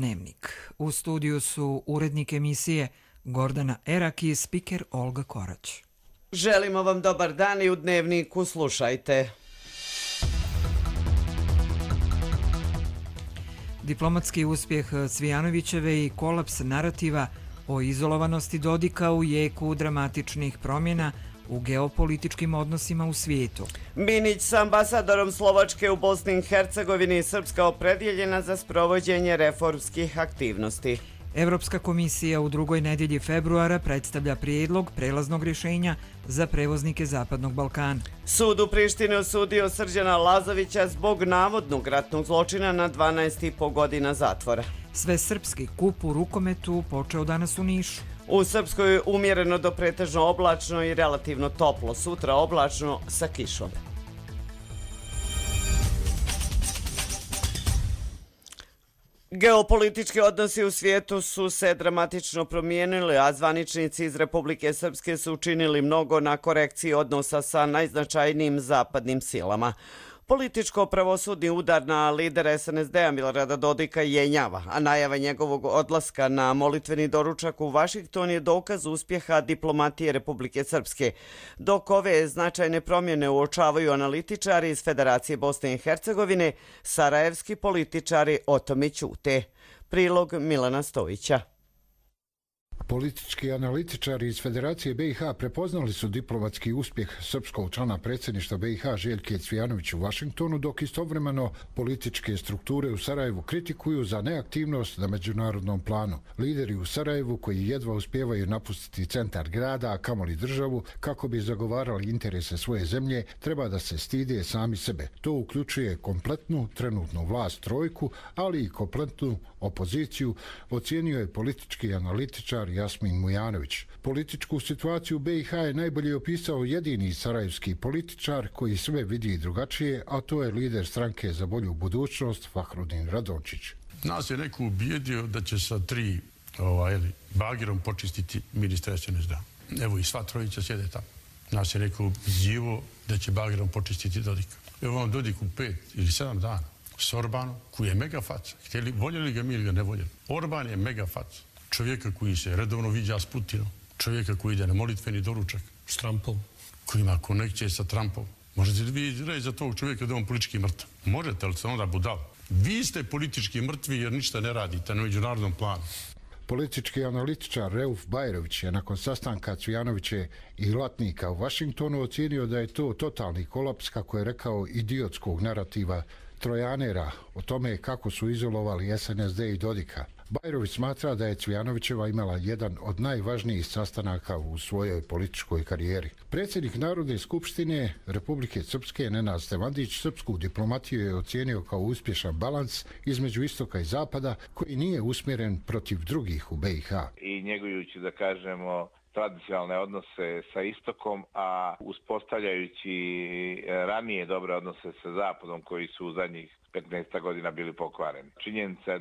Dnevnik. U studiju su urednik emisije Gordana Erak i spiker Olga Korać. Želimo vam dobar dan i u Dnevniku slušajte. Diplomatski uspjeh Cvijanovićeve i kolaps narativa o izolovanosti Dodika u jeku dramatičnih promjena u geopolitičkim odnosima u svijetu. Minić s ambasadorom Slovačke u Bosni i Hercegovini, Srpska opredjeljena za sprovođenje reformskih aktivnosti. Evropska komisija u drugoj nedjelji februara predstavlja prijedlog prelaznog rješenja za prevoznike Zapadnog Balkana. Sud u Prištini osudio Srđana Lazovića zbog navodnog ratnog zločina na 12,5 godina zatvora. Svesrpski kup u rukometu počeo danas u Nišu. U Srpskoj umjereno do pretežno oblačno i relativno toplo, sutra oblačno sa kišom. Geopolitički odnosi u svijetu su se dramatično promijenili, a zvaničnici iz Republike Srpske su učinili mnogo na korekciji odnosa sa najznačajnijim zapadnim silama. Političko-pravosudni udar na lidera SNSD-a Milorada Dodika jenjava, a najava njegovog odlaska na molitveni doručak u Vašington je dokaz uspjeha diplomatije Republike Srpske. Dok ove značajne promjene uočavaju analitičari iz Federacije Bosne i Hercegovine, sarajevski političari o tome ćute. Prilog Milana Stojića. Politički analitičari iz Federacije BiH prepoznali su diplomatski uspjeh srpskog člana predsjedništva BiH Željke Cvijanović u Vašingtonu, dok istovremeno političke strukture u Sarajevu kritikuju za neaktivnost na međunarodnom planu. Lideri u Sarajevu, koji jedva uspijevaju napustiti centar grada, a kamoli državu, kako bi zagovarali interese svoje zemlje, treba da se stide sami sebe. To uključuje kompletnu trenutnu vlast trojku, ali i kompletnu opoziciju, ocijenio je politički analitičar Jasmin Mujanović. Političku situaciju u BiH je najbolje opisao jedini sarajevski političar koji sve vidi drugačije, a to je lider stranke za bolju budućnost Fahrudin Radončić. Nas je neko ubijedio da će sa 3 bagerom počistiti ministra SNSD-a. Evo i sva trojica sjede tamo. Nas je neko ubijedio da će bagerom počistiti Dodika. Evo vam Dodik u 5 ili 7 dana s Orbanom, koji je mega faca. Voljeli ga mi ili ga ne voljeli. Orban je mega faca. Čovjeka koji se redovno viđa s Putinom, čovjeka koji ide na molitveni doručak s Trumpom, koji ima konekcije sa Trumpom. Možete li vi reći za tog čovjeka da je on politički mrtav? Možete li se onda budali? Vi ste politički mrtvi jer ništa ne radite na međunarodnom planu. Politički analitičar Reuf Bajrović je nakon sastanka Cvijanoviće i Latnika u Vašingtonu ocijenio da je to totalni kolaps, kako je rekao, idiotskog narativa trojanera o tome kako su izolovali SNSD i Dodika. Bajrović smatra da je Cvijanovićeva imala jedan od najvažnijih sastanaka u svojoj političkoj karijeri. Predsjednik Narodne skupštine Republike Srpske Nenad Stevandić srpsku diplomatiju je ocijenio kao uspješan balans između istoka i zapada koji nije usmjeren protiv drugih u BiH. I njegujući, da kažemo, tradicionalne odnose sa istokom, a uspostavljajući ranije dobre odnose sa zapadom koji su u zadnjih 15 godina bili pokvareni. Činjenica je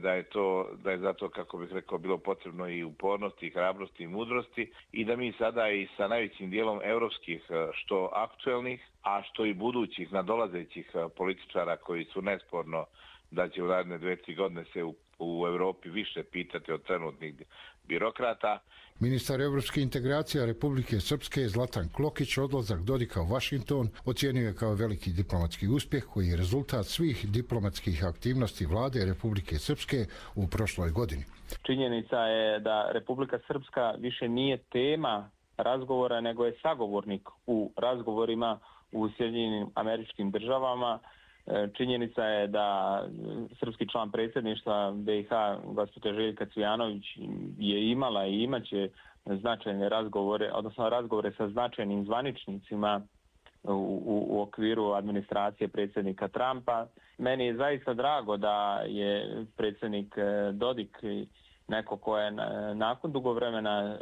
da je zato, kako bih rekao, bilo potrebno i upornosti, i hrabrosti, i mudrosti i da mi sada i sa najvećim dijelom europskih, što aktuelnih, a što i budućih nadolazećih političara koji su nesporno da će u naredne 2-3 godine se u Europi više pitati od trenutnih birokrata. Ministar evropskih integracija Republike Srpske Zlatan Klokić odlazak Dodika u Vašington ocijenio je kao veliki diplomatski uspjeh koji je rezultat svih diplomatskih aktivnosti vlade Republike Srpske u prošloj godini. Činjenica je da Republika Srpska više nije tema razgovora, nego je sagovornik u razgovorima u Sjedinjenim Američkim Državama. Činjenica je da srpski član predsjedništva BiH, gospođa Željka Cvijanović, je imala i imaće značajne razgovore, odnosno razgovore sa značajnim zvaničnicima u okviru administracije predsjednika Trumpa. Meni je zaista drago da je predsjednik Dodik neko ko je nakon dugo vremena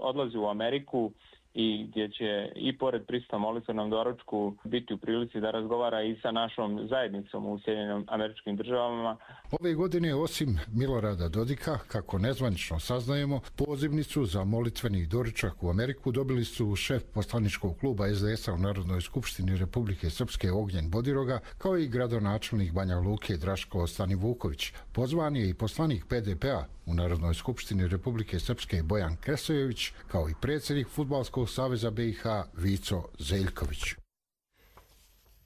odlazi u Ameriku i gdje će i pored prisutnom molitvenom doručku biti u prilici da razgovara i sa našom zajednicom u Sjedinjenim Američkim Državama. Ove godine, osim Milorada Dodika, kako nezvanično saznajemo, pozivnicu za molitveni doručak u Ameriku dobili su šef poslaničkog kluba SDS-a u Narodnoj skupštini Republike Srpske Ognjen Bodiroga, kao i gradonačelnik Banja Luke Draško Stanivuković. Pozvan je i poslanik PDP-a u Narodnoj skupštini Republike Srpske Bojan Kresojević, kao i predsjednik Fudbalskog saveza BiH Vico Zeljković.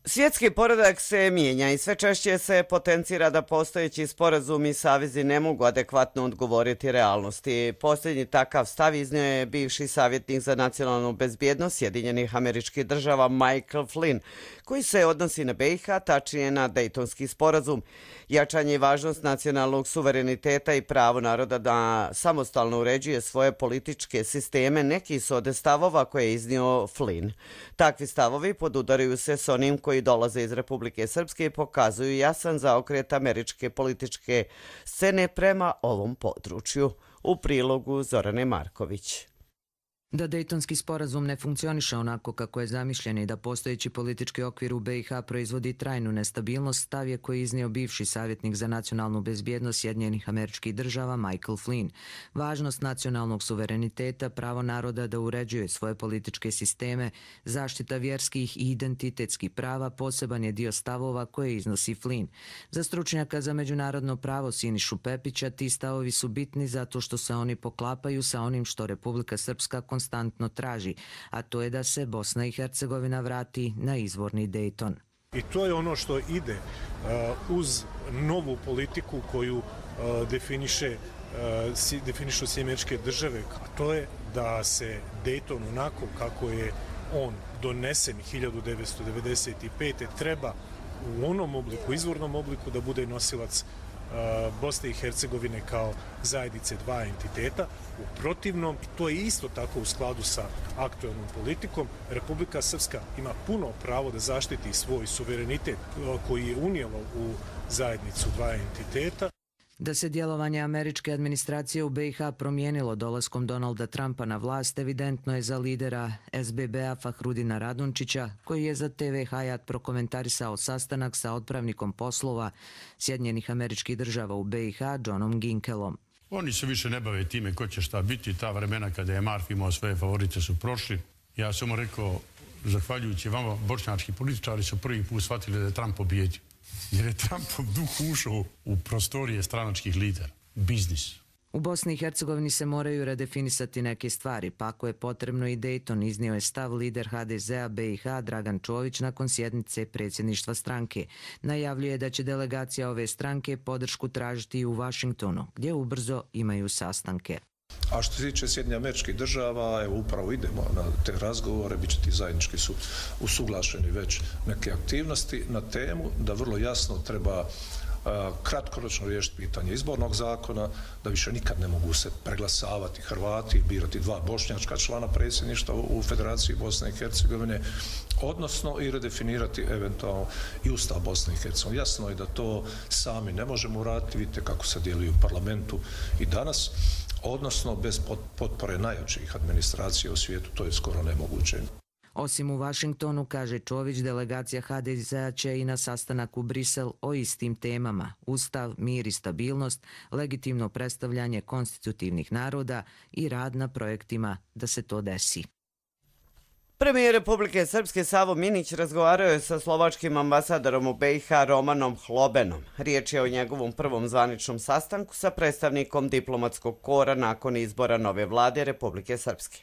Svjetski poredak se mijenja i sve češće se potencira da postojeći sporazumi i savezi ne mogu adekvatno odgovoriti realnosti. Posljednji takav stav iznio je bivši savjetnik za nacionalnu bezbjednost Sjedinjenih Američkih Država Michael Flynn, koji se odnosi na BiH, tačnije na Dejtonski sporazum. Jačanje i važnost nacionalnog suvereniteta i pravo naroda da samostalno uređuje svoje političke sisteme neki su od stavova koje je iznio Flynn. Takvi stavovi podudaraju se s onim koji dolaze iz Republike Srpske i pokazuju jasan zaokret američke političke scene prema ovom području. U prilogu Zorane Marković. Da Dejtonski sporazum ne funkcioniše onako kako je zamišljen i da postojeći politički okvir u BiH proizvodi trajnu nestabilnost, stav je koji iznio bivši savjetnik za nacionalnu bezbjednost Sjedinjenih Američkih Država Michael Flynn. Važnost nacionalnog suvereniteta, pravo naroda da uređuje svoje političke sisteme, zaštita vjerskih i identitetskih prava poseban je dio stavova koje iznosi Flynn. Za stručnjaka za međunarodno pravo Sinišu Pepića ti stavovi su bitni zato što se oni poklapaju sa onim što Republika Srpska konstantno traži, a to je da se Bosna i Hercegovina vrati na izvorni Dejton. I to je ono što ide uz novu politiku koju definišu Sjedinjene Američke Države, a to je da se Dejton onako kako je on donesen 1995. treba u onom obliku, izvornom obliku da bude nosilac Bosne i Hercegovine kao zajednice dva entiteta. U protivnom, to je isto tako u skladu sa aktualnom politikom, Republika Srpska ima puno pravo da zaštiti svoj suverenitet koji je unijela u zajednicu dva entiteta. Da se djelovanje američke administracije u BiH promijenilo dolaskom Donalda Trumpa na vlast, evidentno je za lidera SBB-a Fahrudina Radončića, koji je za TV Hayat prokomentarisao sastanak sa otpravnikom poslova Sjedinjenih Američkih Država u BiH, Johnom Ginkelom. Oni se više ne bave time ko će šta biti. Ta vremena kada je Marf imao svoje favorite su prošli. Ja sam mu rekao, zahvaljujući vama, bošnjački političari su prvi put shvatili da je Trump pobjedio. Jer je Trumpov duh ušao u prostorije stranačkih lidera. Biznis. U Bosni i Hercegovini se moraju redefinisati neke stvari, pa ako je potrebno i Dejton, iznio je stav lider HDZ-a BiH Dragan Čović nakon sjednice predsjedništva stranke. Najavljuje da će delegacija ove stranke podršku tražiti i u Vašingtonu, gdje ubrzo imaju sastanke. A što se tiče Sjedinjenih Američkih Država, evo upravo idemo na te razgovore, bit će ti zajednički su usuglašeni već neke aktivnosti na temu da vrlo jasno treba kratkoročno riješiti pitanje izbornog zakona, da više nikad ne mogu se preglasavati Hrvati, birati dva bošnjačka člana predsjedništva u Federaciji Bosne i Hercegovine, odnosno i redefinirati eventualno i Ustav Bosne i Hercegovine. Jasno je da to sami ne možemo uraditi, vidite kako se djeluju u parlamentu i danas, odnosno bez potpore najjačih administracija u svijetu, to je skoro nemoguće. Osim u Vašingtonu, kaže Čović, delegacija HDZ-a će i na sastanak u Brisel o istim temama: Ustav, mir i stabilnost, legitimno predstavljanje konstitutivnih naroda i rad na projektima da se to desi. Premijer Republike Srpske Savo Minić razgovarao je sa slovačkim ambasadorom u BiH Romanom Hlobenom. Riječ je o njegovom prvom zvaničnom sastanku sa predstavnikom diplomatskog kora nakon izbora nove vlade Republike Srpske.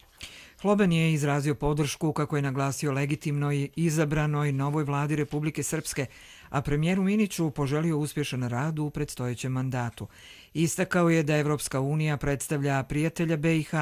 Hloben je izrazio podršku, kako je naglasio, legitimnoj izabranoj novoj vladi Republike Srpske, a premijeru Miniću poželio uspješan rad u predstojećem mandatu. Istakao je da Evropska unija predstavlja prijatelja BiH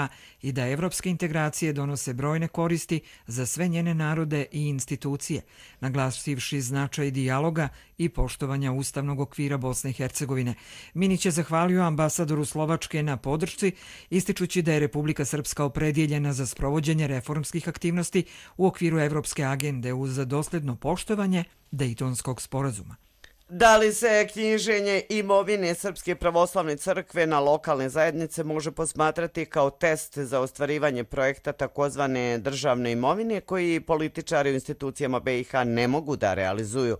i da evropske integracije donose brojne koristi za sve njene narode i institucije, naglasivši značaj dijaloga i poštovanja ustavnog okvira Bosne i Hercegovine. Minić je zahvalio ambasadoru Slovačke na podršci, ističući da je Republika Srpska opredjeljena za sprovođenje reformskih aktivnosti u okviru evropske agende uz dosljedno poštovanje Dejtonskog sporazuma. Da li se knjiženje imovine Srpske pravoslavne crkve na lokalne zajednice može posmatrati kao test za ostvarivanje projekta takozvane državne imovine koji političari u institucijama BiH ne mogu da realizuju?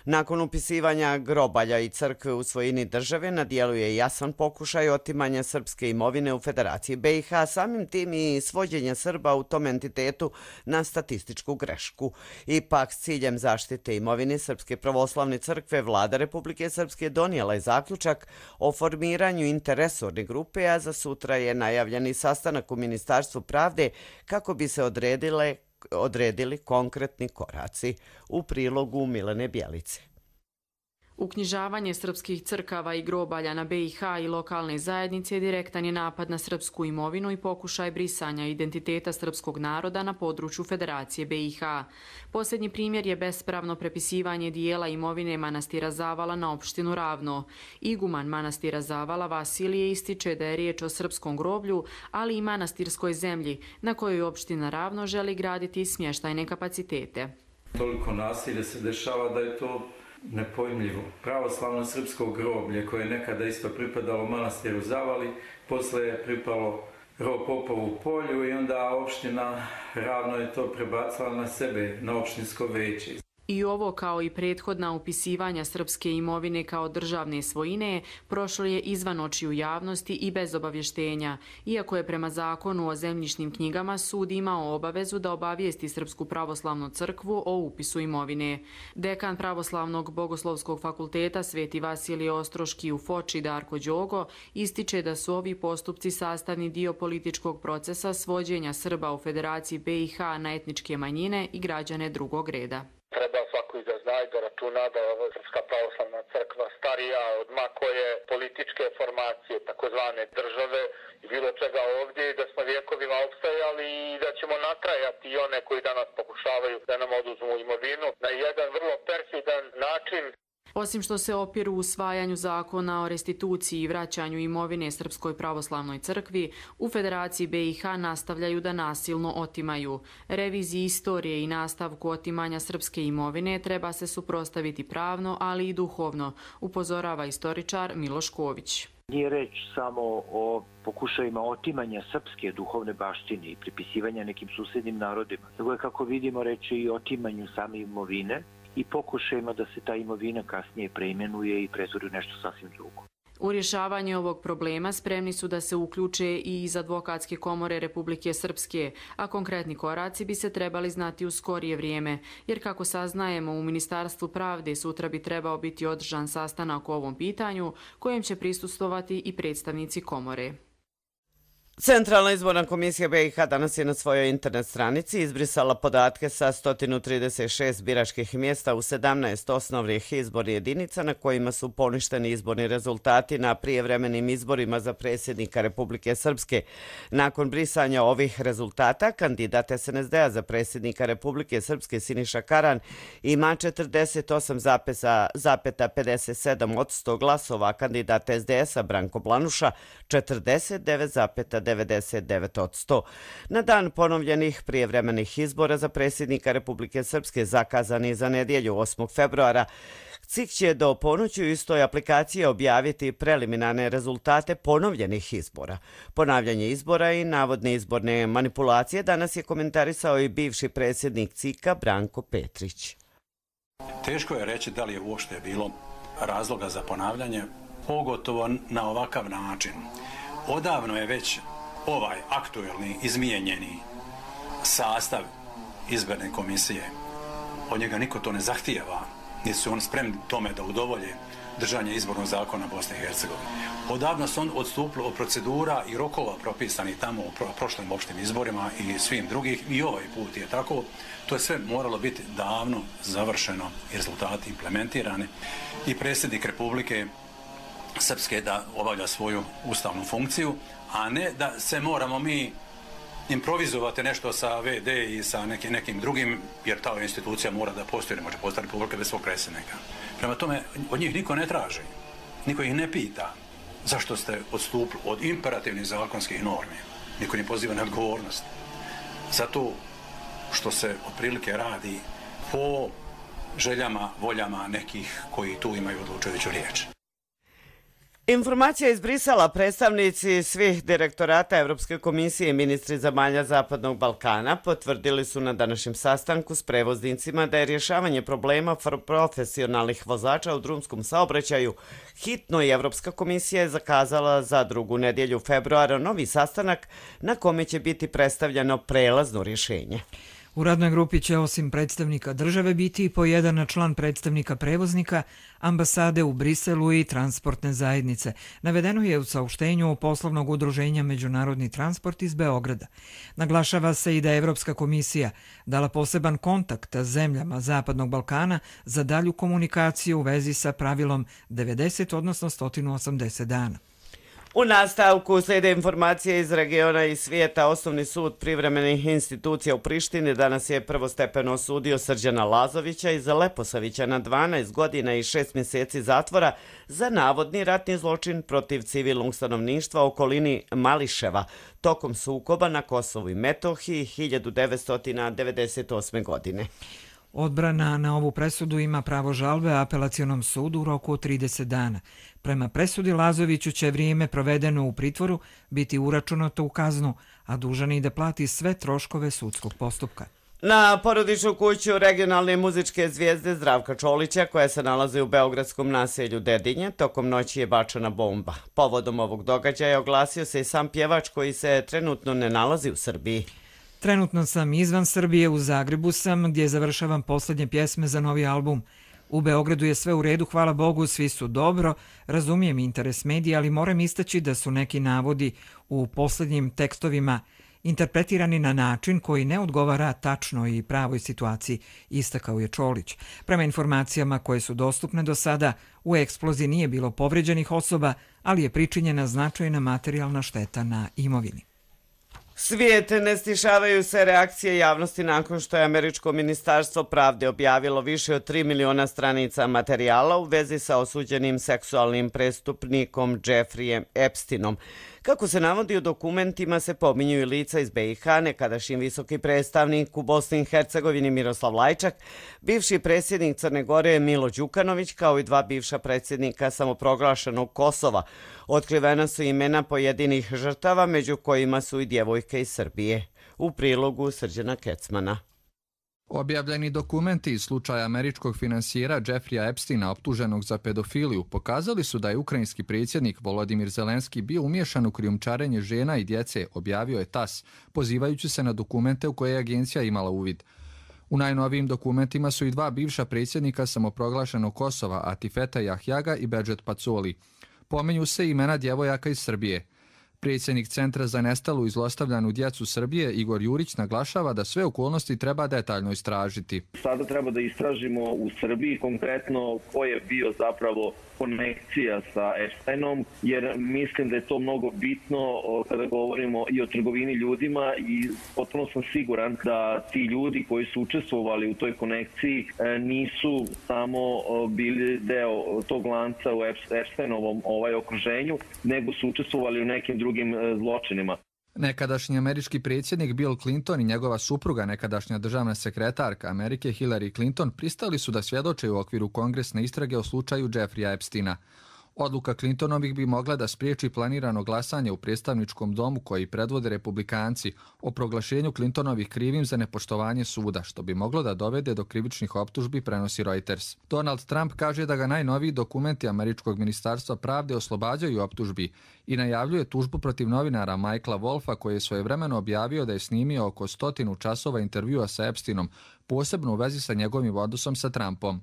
Nakon upisivanja grobalja i crkve u svojini države na dijelu je jasan pokušaj otimanja srpske imovine u Federaciji BiH, samim tim i svođenja Srba u tom entitetu na statističku grešku. Ipak, s ciljem zaštite imovine Srpske pravoslavne crkve, Vlada Republike Srpske donijela je zaključak o formiranju interresorne grupe, a za sutra je najavljeni sastanak u Ministarstvu pravde kako bi se odredili konkretni koraci. U prilogu Milene Bjelice. Uknjižavanje srpskih crkava i grobalja na BiH i lokalne zajednice direktan je napad na srpsku imovinu i pokušaj brisanja identiteta srpskog naroda na području Federacije BiH. Posljednji primjer je bespravno prepisivanje dijela imovine manastira Zavala na opštinu Ravno. Iguman manastira Zavala Vasilije ističe da je riječ o srpskom groblju, ali i manastirskoj zemlji na kojoj opština Ravno želi graditi smještajne kapacitete. Toliko nasilja se dešava da je to nepojmljivo. Pravoslavno srpsko groblje koje je nekada isto pripadalo manastiru Zavali, posle je pripalo Popovu polju i onda opština Ravno je to prebacila na sebe, na opštinsko veće. I ovo, kao i prethodna upisivanja srpske imovine kao državne svojine, prošlo je izvan očiju javnosti i bez obavještenja, iako je prema zakonu o zemljišnim knjigama sud imao obavezu da obavijesti Srpsku pravoslavnu crkvu o upisu imovine. Dekan Pravoslavnog bogoslovskog fakulteta Sveti Vasilije Ostroški u Foči Darko Đogo ističe da su ovi postupci sastavni dio političkog procesa svođenja Srba u Federaciji BiH na etničke manjine i građane drugog reda. Treba svako i da zna i da računa da je ova Srpska pravoslavna crkva starija od makoje političke formacije, takozvane države i bilo čega ovdje, i da smo vjekovima opstajali i da ćemo natrajati i one koji danas pokušavaju da nam oduzmu imovinu na jedan vrlo perfidan način. Osim što se opiru usvajanju zakona o restituciji i vraćanju imovine Srpskoj pravoslavnoj crkvi, u Federaciji BiH nastavljaju da nasilno otimaju. Reviziji istorije i nastavku otimanja srpske imovine treba se suprotstaviti pravno, ali i duhovno, upozorava istoričar Miloš Ković. Nije reč samo o pokušajima otimanja srpske duhovne baštine i pripisivanja nekim susjednim narodima, nego je, kako vidimo, reč i o otimanju same imovine i pokušajima da se ta imovina kasnije preimenuje i pretvori u nešto sasvim drugo. U rješavanje ovog problema spremni su da se uključe i iz Advokatske komore Republike Srpske, a konkretni koraci bi se trebali znati u skorije vrijeme, jer kako saznajemo u Ministarstvu pravde sutra bi trebao biti održan sastanak o ovom pitanju, kojem će prisustvovati i predstavnici komore. Centralna izborna komisija BiH danas je na svojoj internet stranici izbrisala podatke sa 136 biračkih mjesta u 17 osnovnih izbornih jedinica na kojima su poništeni izborni rezultati na prijevremenim izborima za predsjednika Republike Srpske. Nakon brisanja ovih rezultata, kandidat SNSD-a za predsjednika Republike Srpske Siniša Karan ima 48,57% glasova, kandidat SDS-a Branko Blanuša 49,99%. Na dan ponovljenih prijevremenih izbora za predsjednika Republike Srpske zakazani za nedjelju 8. februara, CIK će do ponoći u istoj aplikaciji objaviti preliminarne rezultate ponovljenih izbora. Ponavljanje izbora i navodne izborne manipulacije danas je komentarisao i bivši predsjednik CIK-a Branko Petrić. Teško je reći da li je uopšte bilo razloga za ponavljanje, pogotovo na ovakav način. Odavno je već ovaj aktuelni, izmijenjeni sastav izborne komisije. Od njega niko to ne zahtijeva, niti su oni spremni tome da udovolje držanje izbornog zakona Bosne i Hercegovine. Odavno su on odstupili od procedura i rokova propisani tamo u prošlim opštim izborima i svim drugih, i ovaj put je tako. To je sve moralo biti davno završeno i rezultati implementirani i predsjednik Republike Srpske da obavlja svoju ustavnu funkciju, a ne da se moramo mi improvizovati nešto sa VD i sa nekim drugim, jer ta institucija mora da postoji, ne može postati Republika bez svog predsjednika. Prema tome, od njih niko ne traži, niko ih ne pita zašto ste odstupili od imperativnih zakonskih normi, niko ne poziva na odgovornost. Zato što se otprilike radi po željama, voljama nekih koji tu imaju odlučujuću riječ. Informacija iz Brisela, predstavnici svih direktorata Evropske komisije i ministri zemalja Zapadnog Balkana potvrdili su na današnjem sastanku s prevoznicima da je rješavanje problema profesionalnih vozača u drumskom saobraćaju hitno i Evropska komisija je zakazala za 2. nedjelju februara novi sastanak na kome će biti predstavljeno prelazno rješenje. U radnoj grupi će osim predstavnika države biti i po jedan član predstavnika prevoznika, ambasade u Briselu i transportne zajednice. Navedeno je u saopštenju poslovnog udruženja Međunarodni transport iz Beograda. Naglašava se i da je Evropska komisija dala poseban kontakt zemljama Zapadnog Balkana za dalju komunikaciju u vezi sa pravilom 90, odnosno 180 dana. U nastavku slijede informacije iz regiona i svijeta. Osnovni sud privremenih institucija u Prištini danas je prvostepeno osudio Srđana Lazovića iz Leposavića na 12 godina i 6 mjeseci zatvora za navodni ratni zločin protiv civilnog stanovništva u okolini Mališeva tokom sukoba na Kosovu i Metohiji 1998. godine. Odbrana na ovu presudu ima pravo žalbe apelacionom sudu u roku od 30 dana. Prema presudi Lazoviću će vrijeme provedeno u pritvoru biti uračunato u kaznu, a dužan je da plati sve troškove sudskog postupka. Na porodičnu kuću regionalne muzičke zvijezde Zdravka Čolića, koja se nalazi u beogradskom naselju Dedinje, tokom noći je bačena bomba. Povodom ovog događaja oglasio se i sam pjevač koji se trenutno ne nalazi u Srbiji. Trenutno sam izvan Srbije, u Zagrebu sam, gdje završavam posljednje pjesme za novi album. U Beogradu je sve u redu, hvala Bogu, svi su dobro, razumijem interes medija, ali moram istaći da su neki navodi u posljednjim tekstovima interpretirani na način koji ne odgovara tačno i pravoj situaciji, istakao je Čolić. Prema informacijama koje su dostupne do sada, u eksploziji nije bilo povređenih osoba, ali je pričinjena značajna materijalna šteta na imovini. Svijet, ne stišavaju se reakcije javnosti nakon što je Američko ministarstvo pravde objavilo više od 3 miliona stranica materijala u vezi sa osuđenim seksualnim prestupnikom Jeffreyem Epsteinom. Kako se navodi u dokumentima se pominju i lica iz BiH, nekadašnji visoki predstavnik u Bosni i Hercegovini Miroslav Lajčak, bivši predsjednik Crne Gore Milo Đukanović, kao i 2 bivša predsjednika samoproglašenog Kosova. Otkrivena su imena pojedinih žrtava, među kojima su i djevojke iz Srbije. U prilogu Srđana Kecmana. Objavljeni dokumenti iz slučaja američkog finansijera Jeffreya Epsteina optuženog za pedofiliju pokazali su da je ukrajinski predsjednik Volodimir Zelenski bio umiješan u krijumčarenje žena i djece, objavio je TASS, pozivajući se na dokumente u koje je agencija imala uvid. U najnovijim dokumentima su i 2 bivša predsjednika samoproglašenog Kosova, Atifeta Jahjaga i Bedžet Pacoli. Pominju se imena djevojaka iz Srbije. Predsjednik Centra za nestalu i zlostavljanu djecu Srbije Igor Jurić naglašava da sve okolnosti treba detaljno istražiti. Sada treba da istražimo u Srbiji konkretno ko je bio zapravo konekcija sa Epsteinom, jer mislim da je to mnogo bitno kada govorimo i o trgovini ljudima i potpuno sam siguran da ti ljudi koji su učestvovali u toj konekciji nisu samo bili deo tog lanca u Epsteinovom okruženju, nego su učestvovali u nekim drugim zločinima. Nekadašnji američki predsjednik Bill Clinton i njegova supruga, nekadašnja državna sekretarka Amerike Hillary Clinton, pristali su da svjedoče u okviru kongresne istrage o slučaju Jeffreya Epsteina. Odluka Clintonovih bi mogla da spriječi planirano glasanje u predstavničkom domu koji predvode republikanci o proglašenju Clintonovih krivim za nepoštovanje suda, što bi moglo da dovede do krivičnih optužbi, prenosi Reuters. Donald Trump kaže da ga najnoviji dokumenti Američkog ministarstva pravde oslobađaju optužbi i najavljuje tužbu protiv novinara Michaela Wolfa, koji je svojevremeno objavio da je snimio oko 100 časova intervjua sa Epsteinom, posebno u vezi sa njegovim odnosom sa Trumpom.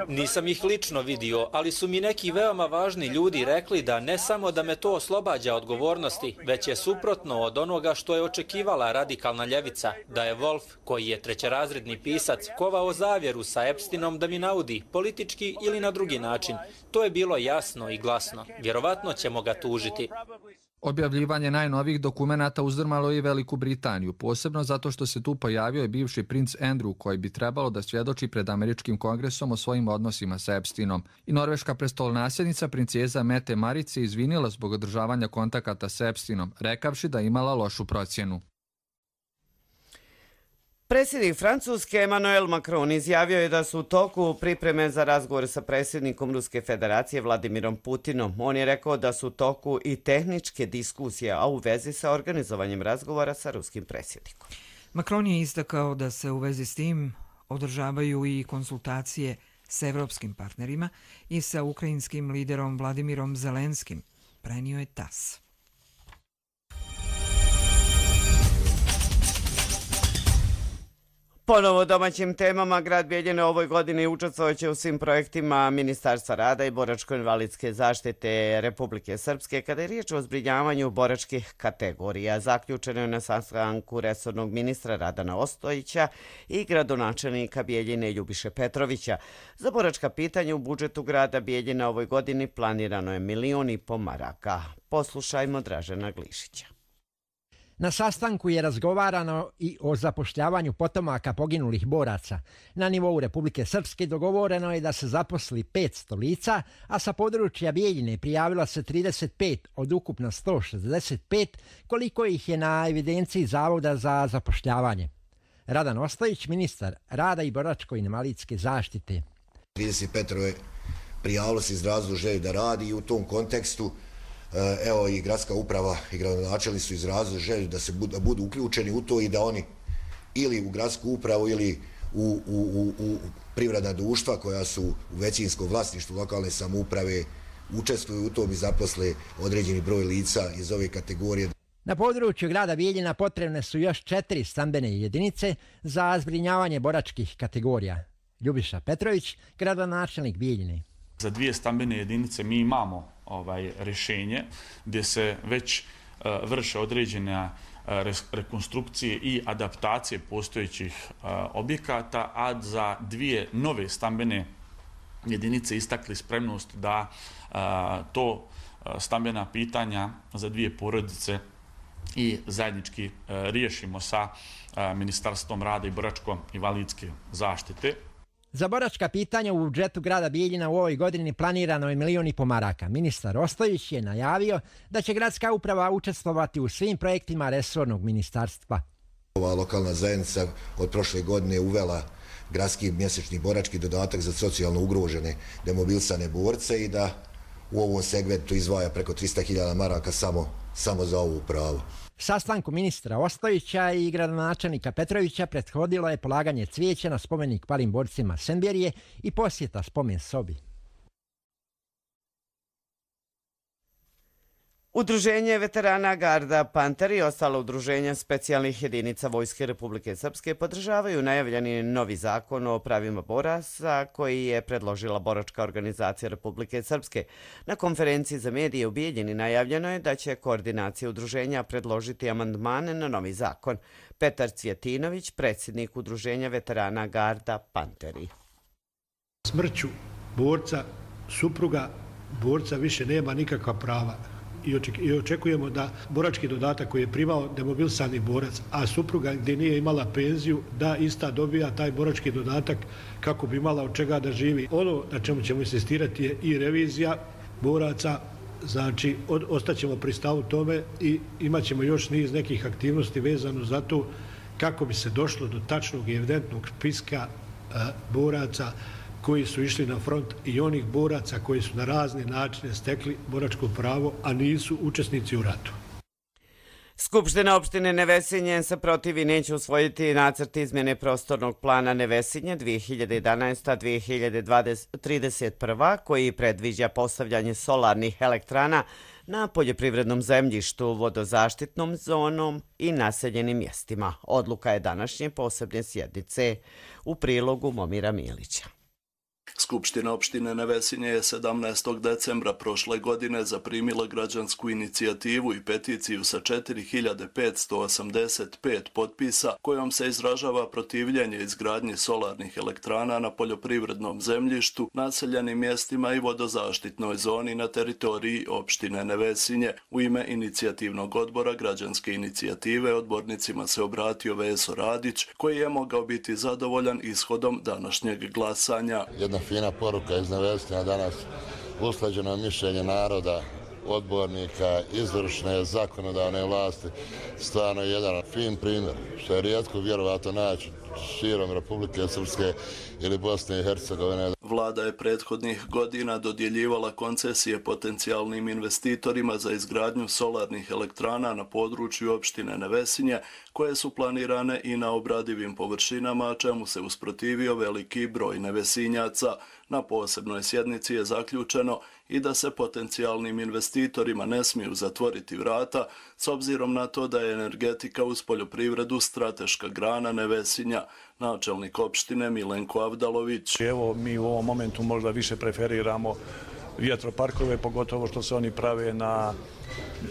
Nisam ih lično vidio, ali su mi neki veoma važni ljudi rekli da ne samo da me to oslobađa odgovornosti, već je suprotno od onoga što je očekivala radikalna ljevica, da je Wolf, koji je trećerazredni pisac, kovao zavjeru sa Epsteinom da mi naudi, politički ili na drugi način. To je bilo jasno i glasno. Vjerovatno ćemo ga tužiti. Objavljivanje najnovijih dokumenata uzdrmalo je Veliku Britaniju, posebno zato što se tu pojavio i bivši princ Andrew, koji bi trebalo da svjedoči pred američkim kongresom o svojim odnosima sa Epsteinom. I norveška prestolnasljednica princeza Mette Marit se izvinila zbog održavanja kontakata sa Epsteinom, rekavši da imala lošu procjenu. Predsjednik Francuske Emmanuel Macron izjavio je da su u toku pripreme za razgovor sa predsjednikom Ruske federacije Vladimirom Putinom. On je rekao da su u toku i tehničke diskusije, a u vezi sa organizovanjem razgovora sa ruskim predsjednikom. Macron je istakao da se u vezi s tim održavaju i konsultacije s evropskim partnerima i sa ukrajinskim liderom Vladimirom Zelenskim, prenio je TASS. Ponovo domaćim temama, grad Bijeljina ovoj godini učestvovaće u svim projektima Ministarstva rada i boračko-invalidske zaštite Republike Srpske kada je riječ o zbrinjavanju boračkih kategorija. Zaključeno je na sastanku resornog ministra Radana Ostojića i gradonačelnika Bijeljine Ljubiše Petrovića. Za boračka pitanja u budžetu grada Bijeljina ovoj godini planirano je 1,5 miliona maraka. Poslušajmo Dražena Glišića. Na sastanku je razgovarano i o zapošljavanju potomaka poginulih boraca. Na nivou Republike Srpske dogovoreno je da se zaposli 500 lica, a sa područja Bijeljine prijavilo se 35 od ukupno 165, koliko ih je na evidenciji Zavoda za zapošljavanje. Radan Ostojić, ministar rada i boračko-invalidske zaštite. 35 prijavilo se izrazilo želju da radi i u tom kontekstu evo i gradska uprava i gradonačelnici su izrazili želju da budu uključeni u to i da oni ili u gradsku upravu ili u privredna društva koja su u većinskom vlasništvu lokalne samouprave učestvuju u tom i zaposle određeni broj lica iz ove kategorije. Na području grada Bijeljina potrebne su još 4 stambene jedinice za zbrinjavanje boračkih kategorija. Ljubiša Petrović, gradonačelnik Bijeljine. Za 2 stambene jedinice mi imamo rješenje gdje se već vrše određene rekonstrukcije i adaptacije postojećih objekata, a za 2 nove stambene jedinice istakli spremnost da to stambena pitanja za 2 porodice i zajednički riješimo sa Ministarstvom rada i boračko-invalidske zaštite. Za boračka pitanja u budžetu grada Bijeljina u ovoj godini planirano je 1,5 miliona maraka. Ministar Ostojić je najavio da će gradska uprava učestvovati u svim projektima resornog ministarstva. Ova lokalna zajednica od prošle godine uvela gradski mjesečni borački dodatak za socijalno ugrožene demobilisane borce i da u ovom segmentu izdvaja preko 300.000 maraka samo za ovu upravu. Sastanku ministra Ostojića i gradonačelnika Petrovića prethodilo je polaganje cvijeća na spomenik palim borcima Semberije i posjeta spomen sobi. Udruženje veterana Garda Panter i ostala udruženja specijalnih jedinica Vojske Republike Srpske podržavaju najavljeni novi zakon o pravima boraca koji je predložila boračka organizacija Republike Srpske. Na konferenciji za medije u Bijeljini najavljeno je da će koordinacija udruženja predložiti amandmane na novi zakon. Petar Cvjetinović, predsjednik udruženja veterana Garda Panteri. Smrću borca, supruga borca više nema nikakva prava. I očekujemo da borački dodatak koji je primao demobilisani borac, a supruga gdje nije imala penziju, da ista dobija taj borački dodatak kako bi imala od čega da živi. Ono na čemu ćemo insistirati je i revizija boraca, znači ostaćemo pri stavu tome i imat ćemo još niz nekih aktivnosti vezano za to kako bi se došlo do tačnog i evidentnog spiska boraca koji su išli na front i onih boraca koji su na razne načine stekli boračko pravo, a nisu učesnici u ratu. Skupština opštine Nevesinje se protivi neće usvojiti nacrt izmjene prostornog plana Nevesinje 2011-2031 koji predviđa postavljanje solarnih elektrana na poljoprivrednom zemljištu, vodozaštitnom zonom i naseljenim mjestima. Odluka je današnje posebne sjednice u prilogu Momira Milića. Skupština opštine Nevesinje je 17. decembra prošle godine zaprimila građansku inicijativu i peticiju sa 4585 potpisa kojom se izražava protivljenje izgradnje solarnih elektrana na poljoprivrednom zemljištu, naseljenim mjestima i vodozaštitnoj zoni na teritoriji opštine Nevesinje. U ime inicijativnog odbora građanske inicijative odbornicima se obratio Veso Radić koji je mogao biti zadovoljan ishodom današnjeg glasanja. Jedna fina poruka iz Nevesinja danas, usklađeno mišljenje naroda, odbornika, izvršne, zakonodavne vlasti, stvarno jedan fin primjer, što je rijetko vjerovatno naći širom Republike Srpske ili Bosne i Hercegovine. Vlada je prethodnih godina dodjeljivala koncesije potencijalnim investitorima za izgradnju solarnih elektrana na području opštine Nevesinje, koje su planirane i na obradivim površinama, čemu se usprotivio veliki broj nevesinjaca. Na posebnoj sjednici je zaključeno i da se potencijalnim investitorima ne smiju zatvoriti vrata, s obzirom na to da je energetika uz poljoprivredu strateška grana Nevesinja. Načelnik opštine Milenko Avdalović. Evo, mi u ovom momentu možda više preferiramo vjetroparkove, pogotovo što se oni prave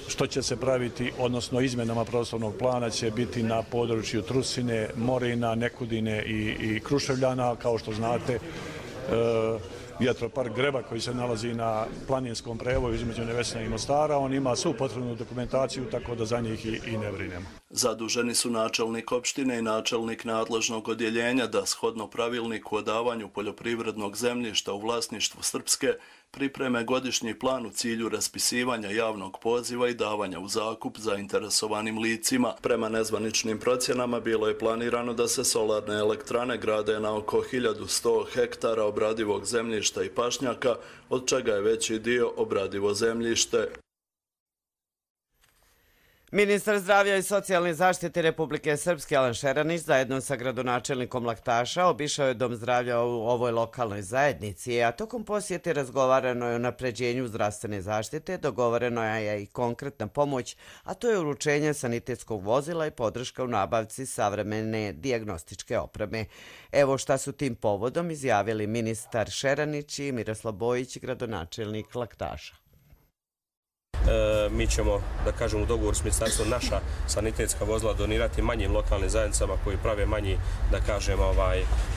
što će se praviti, odnosno izmjenama prostornog plana će biti na području Trusine, Morina, Nekudine i Kruševljana. Kao što znate, vjetropark Greba koji se nalazi na planinskom prevoju između Nevesinja i Mostara, on ima svu potrebnu dokumentaciju, tako da za njih i ne brinemo. Zaduženi su načelnik opštine i načelnik nadležnog odjeljenja da shodno pravilniku o davanju poljoprivrednog zemljišta u vlasništvu Srpske pripreme godišnji plan u cilju raspisivanja javnog poziva i davanja u zakup zainteresovanim licima. Prema nezvaničnim procjenama bilo je planirano da se solarne elektrane grade na oko 1100 hektara obradivog zemljišta i pašnjaka, od čega je veći dio obradivo zemljište. Ministar zdravlja i socijalne zaštite Republike Srpske Alan Šeranić zajedno sa gradonačelnikom Laktaša obišao je dom zdravlja u ovoj lokalnoj zajednici, a tokom posjete razgovarano je o napređenju zdravstvene zaštite, dogovoreno je i konkretna pomoć, a to je uručenje sanitetskog vozila i podrška u nabavci savremene dijagnostičke opreme. Evo šta su tim povodom izjavili ministar Šeranić i Miroslav Bojić, gradonačelnik Laktaša. Mi ćemo, da kažem, u dogovoru s ministarstvom naša sanitetska vozila donirati manjim lokalnim zajednicama koji prave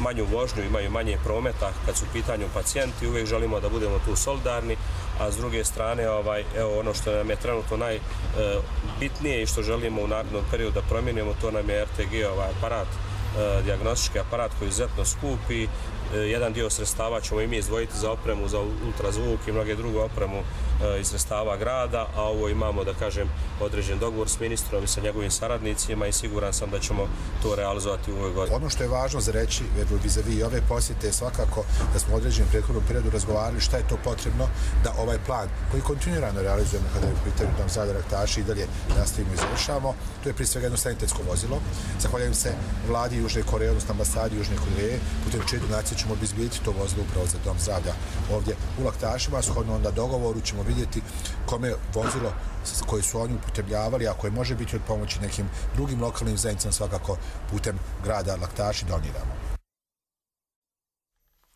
manju vožnju, imaju manje prometa kad su u pitanju pacijenti. Uvijek želimo da budemo tu solidarni, a s druge strane evo ono što nam je trenutno najbitnije i što želimo u narednom periodu da promijenimo, to nam je RTG aparat, dijagnostički aparat koji je izuzetno skup i jedan dio sredstava ćemo i mi izdvojiti za opremu, za ultrazvuk i mnoge druge opremu iz sredstava grada, a ovo imamo, da kažem, određen dogovor s ministrom i sa njegovim saradnicima i siguran sam da ćemo to realizovati u ovoj godini. Ono što je važno za reći vis-a-vis ove posjete je svakako da smo u određenom prethodnom periodu razgovarali šta je to potrebno da ovaj plan koji kontinuirano realizujemo kada je u pitanju dom zdravlja Laktaša i dalje nastavimo i završavamo. To je prije svega jedno sanitetsko vozilo. Zahvaljujem se vladi Južne Koreje, odnosno ambasadi Južne Koreje, putem čije donacije ćemo obezbijediti to vozilo upravo za dom zdravlja ovdje u Laktašima. Shodno onda dogovoru ćemo vidjeti kome vozilo koje su oni upotrebljavali, a koje može biti od pomoći nekim drugim lokalnim zajednicama, svakako putem grada Laktaši doniramo.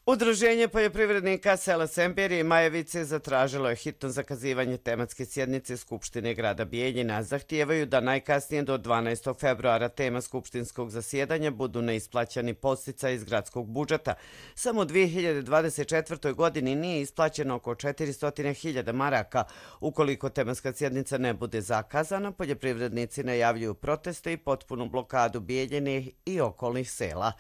Udruženje poljoprivrednika sela Semberije i Majevice zatražilo je hitno zakazivanje tematske sjednice Skupštine grada Bijeljina. Zahtijevaju da najkasnije do 12. februara tema skupštinskog zasjedanja budu neisplaćeni podsticaji iz gradskog budžeta. Samo u 2024. godini nije isplaćeno oko 400.000 maraka. Ukoliko tematska sjednica ne bude zakazana, poljoprivrednici najavljuju proteste i potpunu blokadu Bijeljine i okolnih sela.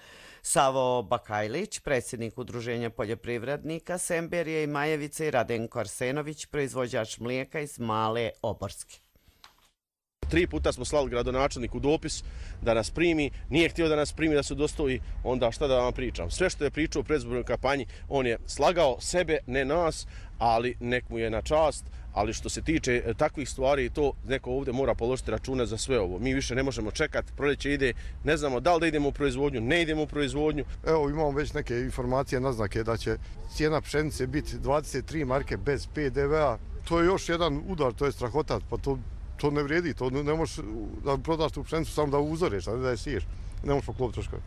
Savo Bakajlić, predsjednik Udruženja poljoprivrednika Semberije i Majevice, i Radenko Arsenović, proizvođač mlijeka iz Male Oborske. 3 puta smo slali gradonačelniku dopis da nas primi, nije htio da nas primi, da se dostoji, onda šta da vam pričam. Sve što je pričao u predizbornoj kampanji, on je slagao sebe, ne nas, ali nek mu je na čast. Ali što se tiče takvih stvari, to neko ovdje mora položiti račune za sve ovo. Mi više ne možemo čekati, proljeće ide, ne znamo da li da idemo u proizvodnju, ne idemo u proizvodnju. Evo imamo već neke informacije, naznake da će cijena pšenice biti 23 marke bez PDV-a. To je još jedan udar, to je strahota, pa to ne vrijedi, to ne možeš da prodaš tu pšenicu samo da uzoreš, a ne da je siješ. Ne možeš poklopiti troškove.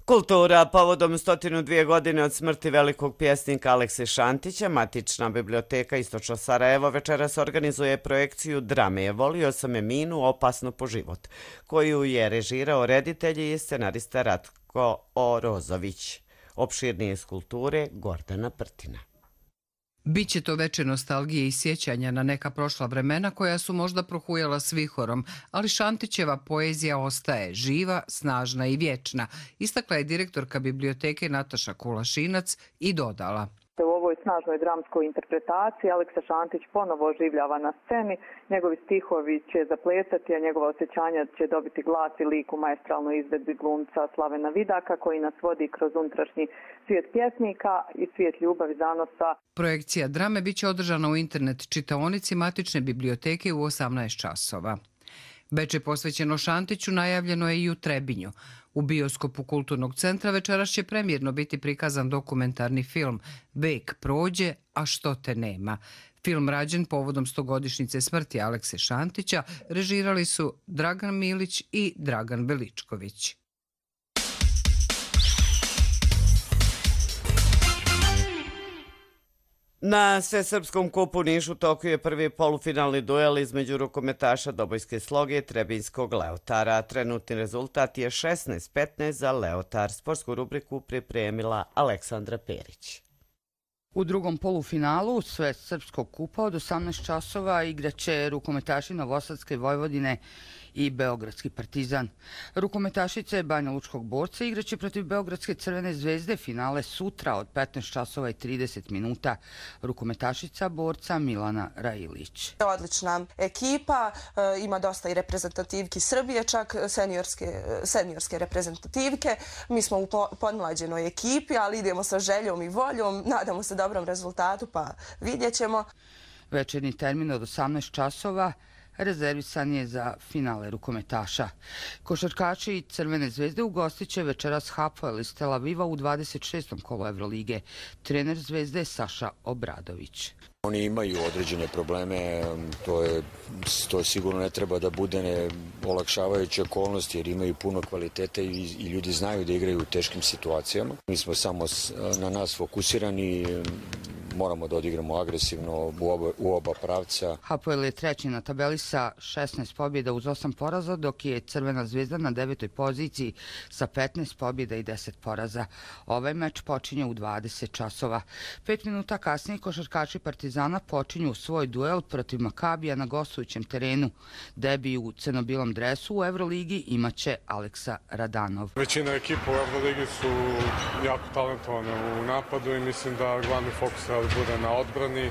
Kultura. Povodom 102 godine od smrti velikog pjesnika Alekse Šantića, Matična biblioteka Istočno Sarajevo večeras organizuje projekciju drame Volio sam je Minu, opasno po život, koju je režirao reditelj i scenarista Ratko Orozović. Opširnije iz kulture Gordana Prtina. Biće to večer nostalgije i sjećanja na neka prošla vremena koja su možda prohujala s vihorom, ali Šantićeva poezija ostaje živa, snažna i vječna, istakla je direktorka biblioteke Nataša Kulašinac i dodala. U ovoj ovoj snažnoj dramskoj interpretaciji Aleksa Šantić ponovo oživljava na sceni. Njegovi stihovi će zaplesati, a njegova osjećanja će dobiti glas i lik u maestralnoj izvedbi glumca Slavena Vidaka, koji nas vodi kroz unutrašnji svijet pjesnika i svijet ljubavi, zanosa. Projekcija drame biće održana u internet čitaonici Matične biblioteke u 18 časova. Veče posvećeno Šantiću najavljeno je i u Trebinju. U bioskopu Kulturnog centra večeras će premijerno biti prikazan dokumentarni film Vek prođe, a što te nema. Film rađen povodom 100-godišnjice smrti Alekse Šantića režirali su Dragan Milić i Dragan Veličković. Na Svesrpskom kupu u Nišu toku je prvi polufinalni duel između rukometaša Dobojske sloge i Trebinjskog Leotara. Trenutni rezultat je 16-15 za Leotar. Sportsku rubriku pripremila Aleksandra Perić. U drugom polufinalu Svesrpskog kupa od 18 časova igraće rukometaši Novosadske Vojvodine i Beogradski Partizan. Rukometašice Banja Lučkog Borca igraće protiv Beogradske Crvene zvezde, finale sutra od 15 časova i 30 minuta. Rukometašica Borca Milana Railić. Odlična ekipa, ima dosta i reprezentativki Srbije, čak seniorske reprezentativke. Mi smo u podmlađenoj ekipi, ali idemo sa željom i voljom, nadamo se dobrom rezultatu, pa vidjet ćemo. Večernji termin od 18 časova rezervisan je za finale rukometaša. Košarkači Crvene zvezde ugostit će večeras Hapoel iz Tel Aviva u 26. kolu Evrolige. Trener Zvezde je Saša Obradović. Oni imaju određene probleme, to sigurno ne treba da bude olakšavajuća okolnost jer imaju puno kvaliteta i ljudi znaju da igraju u teškim situacijama. Mi smo samo na nas fokusirani, moramo da odigramo agresivno u oba pravca. Hapoel je treći na tabeli sa 16 pobjeda uz 8 poraza, dok je Crvena zvezda na 9. poziciji sa 15 pobjeda i 10 poraza. Ovaj meč počinje u 20 časova. 5 minuta kasnije košarkači Partizana počinju svoj duel protiv Makabija na gostujućem terenu. Debi u crno-bilom dresu u Evroligi imaće Aleksa Radanov. Većina ekipa u Evroligi su jako talentovane u napadu i mislim da glavni fokus bude na odbrani,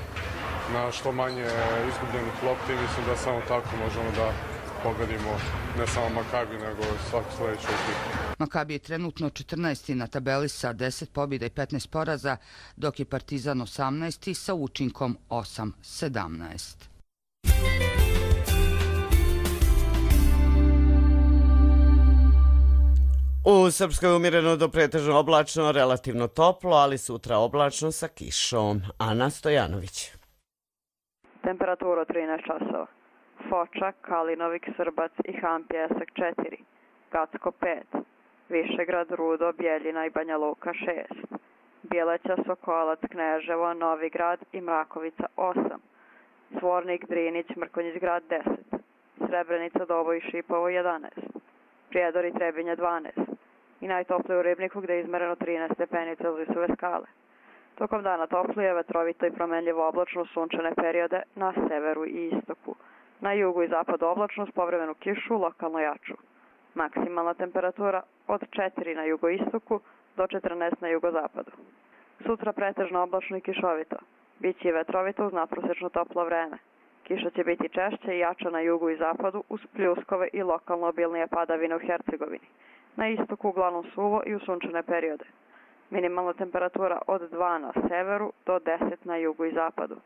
na što manje izgubljenih lopti. Mislim da samo tako možemo da pogodimo ne samo Makabi, nego svaku sljedeću ekipu. Makabi je trenutno 14. na tabeli sa 10 pobjeda i 15 poraza, dok je Partizan 18. sa učinkom 8-17. U Srpskoj je umjereno do pretežno oblačno, relativno toplo, ali sutra oblačno sa kišom. Ana Stojanović. Temperatura 13 časova. Foča, Kalinovik, Srbac i Hampija Esak 4. Gacko 5. Višegrad, Rudo, Bjeljina i Banja Luka 6. Bjeleća, Sokolac, Kneževo, Novigrad i Mrakovica 8. Svornik, Drinić, Mrkonjić grad 10. Srebrenica, Doboj i Šipovo 11. Prijedor i Trebinje 12. I najtoplije u Ribniku gdje je izmereno 13 stepeni Celzijusove skale. Tokom dana toplije, vetrovito i promenljivo oblačno sunčane periode na severu i istoku. Na jugu i zapadu oblačno s povremenu kišu, lokalno jaču. Maksimalna temperatura od 4 na jugoistoku do 14 na jugozapadu. Sutra pretežno oblačno i kišovito. Biće i vetrovito uz nadprosečno toplo vreme. Kiša će biti češće i jača na jugu i zapadu uz pljuskove i lokalno obilnije padavine u Hercegovini. Na istoku uglavnom suvo i u sunčane periode. Minimalna temperatura od 2 na severu do 10 na jugu i zapadu.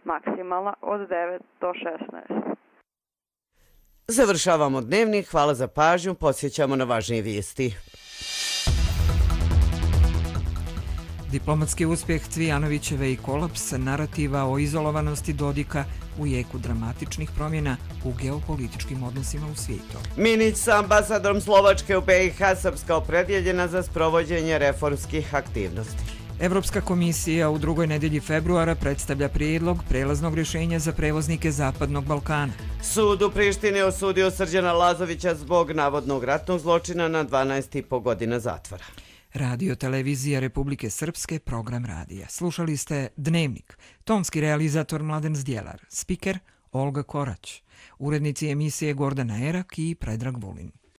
Maksimalna od 9 do 16. Završavamo dnevnik. Hvala za pažnju. Podsjećamo na važnije vijesti. Diplomatski uspjeh Cvijanovićeve i kolaps narativa o izolovanosti Dodika u jeku dramatičnih promjena u geopolitičkim odnosima u svijetu. Minić sa ambasadorom Slovačke u BiH, Srpska opredjeljena za sprovođenje reformskih aktivnosti. Evropska komisija u drugoj nedelji februara predstavlja prijedlog prelaznog rješenja za prevoznike Zapadnog Balkana. Sud u Prištini osudio Srđana Lazovića zbog navodnog ratnog zločina na 12,5 godina zatvora. Radio Televizija Republike Srpske, program radija. Slušali ste Dnevnik. Tonski realizator Mladen Zdjelar. Spiker Olga Korać. Urednici emisije Gordana Erak i Predrag Vulin.